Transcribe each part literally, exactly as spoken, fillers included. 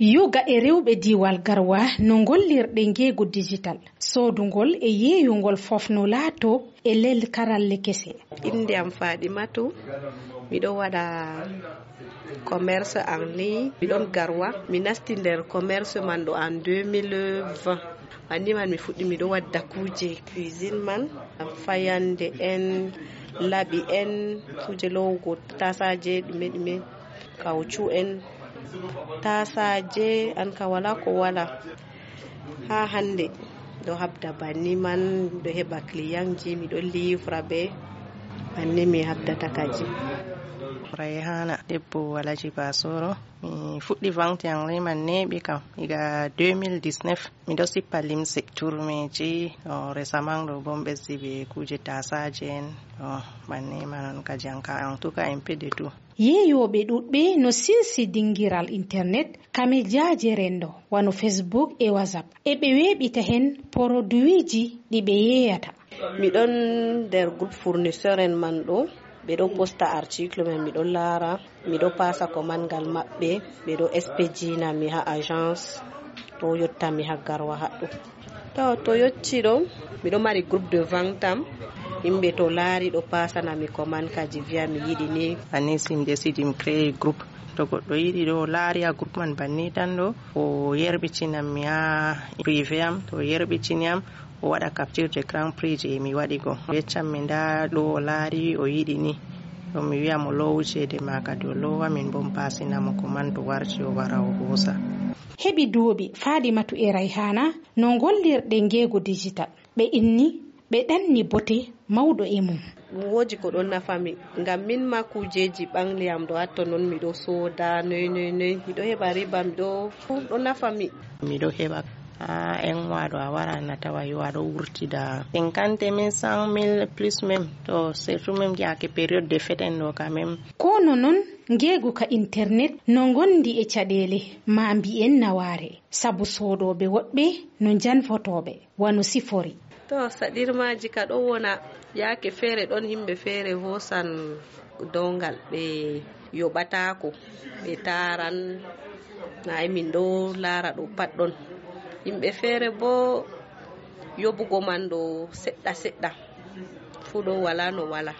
Yoga e rewɓe diiwal Garwa no ngollirɗe ngeegu digital, soodungol e yeeyungol fof no laato e lel karalle kese. Innde am Fadimatu, miɗo waɗa commerce en ligne, miɗon Garwa, mi nasti nder commerce man ɗo en deux mille vingt. Banni man mi fuɗɗi miɗo wadda kuuje cuisine man, fayande en, laɓi en, kuuje lowugo tasaje ɗume ɗume, kawcu en, tasaje an ka wala ko wala. Ha hande ɗo habda banni man, ɗo heɓa clientji, miɗo livra ɓe, banni mi habdata kaji. Rayhana debbo Alaji Basoro. Mi fuɗɗi vente en ligne man neeɓi kam iga deux mille dix-neuf. Miɗo sippa limse, turmeji, o, récemment ɗo bo mi ɓesdi be kuje tasaje en, o, banni man on ka janka, en tout cas un peu de tout. Yeeyooɓe ɗuuɗɓe no sinsi dingiral internet kame jaaje renndo, wano Facebook e WhatsApp. E ɓe weeɓita heen poroduwiiji ɗi ɓe yeeyata. Miɗon nder groupe fournisseur en man ɗo, ɓe ɗo posta article men, miɗo laara, miɗo pasa commande ngal maɓɓe, ɓe ɗo expedina mi ha agence, ɗo yotta mi ha Garwa haɗɗo. To, to yotti ɗo, miɗo mari groupe de vente am, yimɓe to laari ɗo pasana mi commande kaji viya mi yiɗi ni. Banni si mi décide mi créer groupe, to goɗɗo yiɗi ɗo laari a groupe man banni tan ɗo, o yerɓitinam mi ha privé am, to o yerɓitini am, o waɗa capture d'écran prix je mi waɗi go. O yeccam mi nda ɗo o laari o yiɗi ni. Ɗum mi wiya mo loowu ceede ma kadi o loowa, min bo mi pasina mo commande to warti o wara o hoosa. Heɓi duuɓi Fadimatu e Rayhana no ngollirɗe ngeegu digital. Ɓe inni, ɓe ɗanni bote mawɗo e mum. Ɗum woodi ko ɗon nafa mi, ngam min ma kuujeeji ɓangli am ɗo hatto non miɗo sooda, noy, noy, noy, miɗo heɓa riba, miɗo, ɗum ɗon nafa mi. Miɗo heɓa, haa en waɗo a wara na tawa yo aɗo wurtida cinquante mille, cent mille plus même, to surtout même yaake période de fête en ɗo quand même. Kono non, ngeegu ka internet no ngondi e caɗeele, ma mbiyen nawaare, sabu soodooɓe woɗɓe no njanfotooɓe, wano sifori. To, saɗirmaaji ka ɗo wona, yaake feere ɗon yimɓe feere hoosan downgal, ɓe yoɓataako, ɓe taaran, na min ɗo laara ɗo pat ɗon. Yimɓe feere bo yoɓugo man ɗo seɗɗa seɗɗa, fuu ɗo wala no wala.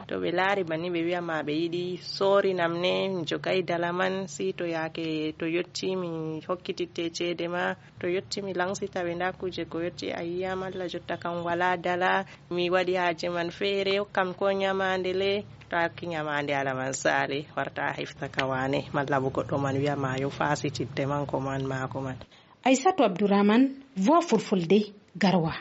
To ɓe laari banni ɓe wi'a ma ɓe yiɗi soorinam ne, mi jogay dala man, si to yaake to yotti mi hokkititte ceede ma, to yotti mi lansita ɓe nda kuuje ko yotti a yi'am Allah jotta kam wala dala, mi waɗi haaje man feere, hokkam ko nyamaande le, to a hokki nyamaande ala man saali, warta a hefta ka wane, malla bo goɗɗo man wi'a ma yo faasitidde man ko man maako man. Aysatu Abdourahmane, Voix Fulfulde, Garwa.